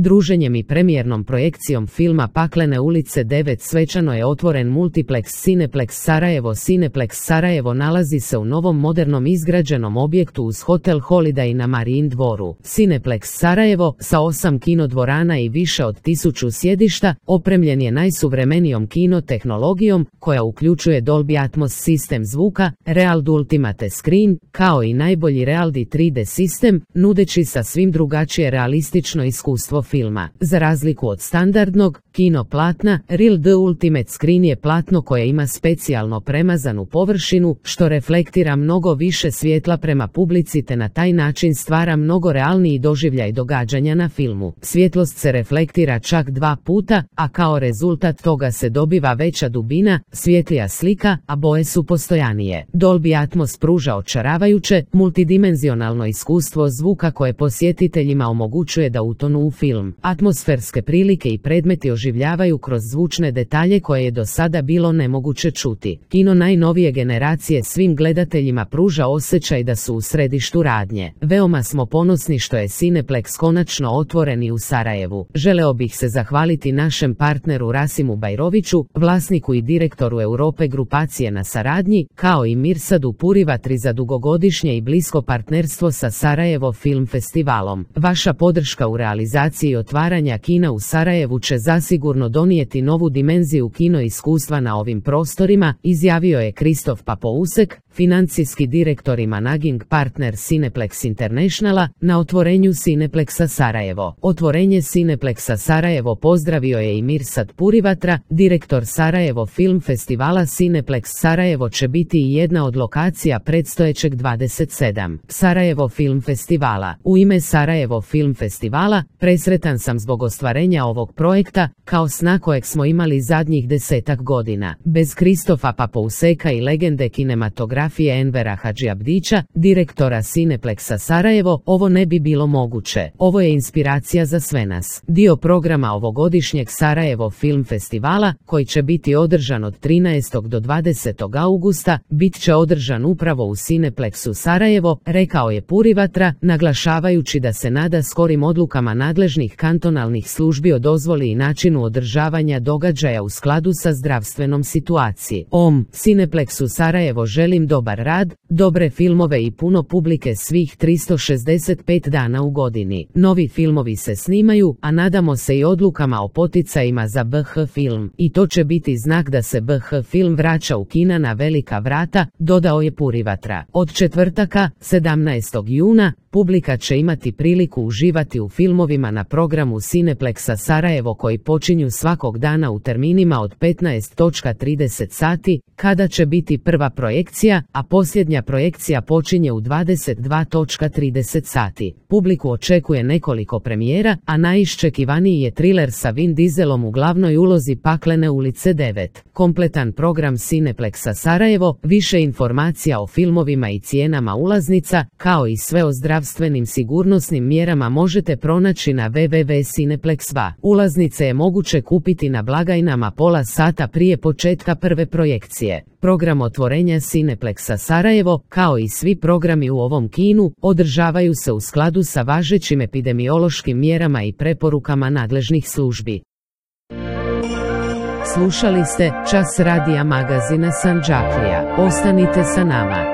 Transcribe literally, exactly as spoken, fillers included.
Druženjem i premijernom projekcijom filma Paklene ulice devet svečano je otvoren Multiplex Cineplex Sarajevo. Cineplex Sarajevo nalazi se u novom modernom izgrađenom objektu uz Hotel Holiday na Marijin dvoru. Cineplex Sarajevo, sa osam kinodvorana i više od tisuću sjedišta, opremljen je najsuvremenijom kino tehnologijom koja uključuje Dolby Atmos sistem zvuka, Reald Ultimate Screen, kao i najbolji Realdi tri D sistem, nudeći sa svim drugačije realistično iskustvo filma. Za razliku od standardnog kino platna, Reald Ultimate Screen je platno koje ima specijalno premazanu površinu, što reflektira mnogo više svjetla prema publici te na taj način stvara mnogo realniji doživljaj događanja na filmu. Svjetlost se reflektira čak dva puta, a kao rezultat toga se dobiva veća dubina, svjetlija slika, a boje su postojanije. Dolby Atmos pruža očaravajuće, multidimenzionalno iskustvo zvuka koje posjetiteljima omogućuje da utonu u film. Atmosferske prilike i predmeti oživljavaju kroz zvučne detalje koje je do sada bilo nemoguće čuti. Kino najnovije generacije svim gledateljima pruža osjećaj da su u središtu radnje. Veoma smo ponosni što je Cineplex konačno otvoren i u Sarajevu. Želeo bih se zahvaliti našem partneru Rasimu Bajroviću, vlasniku i direktoru Europe grupacije na saradnji, kao i Mirsadu Purivatri za dugogodišnje i blisko partnerstvo sa Sarajevo Film Festivalom. Vaša podrška u realizaciji otvaranja kina u Sarajevu će zasigurno donijeti novu dimenziju kino iskustva na ovim prostorima, izjavio je Kristof Papousek, financijski direktor i managing partner Cineplex Internationala, na otvorenju Cineplexa Sarajevo. Otvorenje Cineplexa Sarajevo pozdravio je i Mirsad Purivatra, direktor Sarajevo Film Festivala. Cineplex Sarajevo će biti i jedna od lokacija predstojećeg dvadeset sedam Sarajevo Film Festivala. U ime Sarajevo Film Festivala, presretan sam zbog ostvarenja ovog projekta, kao sna kojeg smo imali zadnjih desetak godina. Bez Kristofa Papouseka i legende kinematografije Envera Hadžiabdića, direktora Cineplexa Sarajevo, ovo ne bi bilo moguće. Ovo je inspiracija za sve nas. Dio programa ovogodišnjeg Sarajevo Film Festivala, koji će biti održan od trinaestog do dvadesetog augusta, bit će održan upravo u Cineplexu Sarajevo, rekao je Purivatra, naglašavajući da se nada skorim odlukama nadležnih kantonalnih službi o dozvoli i načinu održavanja događaja u skladu sa zdravstvenom situacijom. Om Cineplexu Sarajevo želim dobar rad, dobre filmove i puno publike svih tristo šezdeset pet dana u godini. Novi filmovi se snimaju, a nadamo se i odlukama o poticajima za B H film. I to će biti znak da se B H film vraća u kina na velika vrata, dodao je Purivatra. Od četvrtaka, sedamnaestog juna, publika će imati priliku uživati u filmovima na programu Cineplexa Sarajevo koji počinju svakog dana u terminima od petnaest trideset sati, kada će biti prva projekcija, a posljednja projekcija počinje u dvadeset dva trideset sati. Publiku očekuje nekoliko premijera, a najiščekivaniji je triler sa Vin Dieselom u glavnoj ulozi Paklene ulice devet. Kompletan program Cineplexa Sarajevo, više informacija o filmovima i cijenama ulaznica, kao i sve o zdravstvenim sigurnosnim mjerama možete pronaći na w w w tačka cineplex va. Ulaznice je moguće kupiti na blagajnama pola sata prije početka prve projekcije. Program otvorenja Cineplexa Sarajevo, kao i svi programi u ovom kinu, održavaju se u skladu sa važećim epidemiološkim mjerama i preporukama nadležnih službi. Slušali ste Čas radija magazina Sandžaklija. Ostanite sa nama.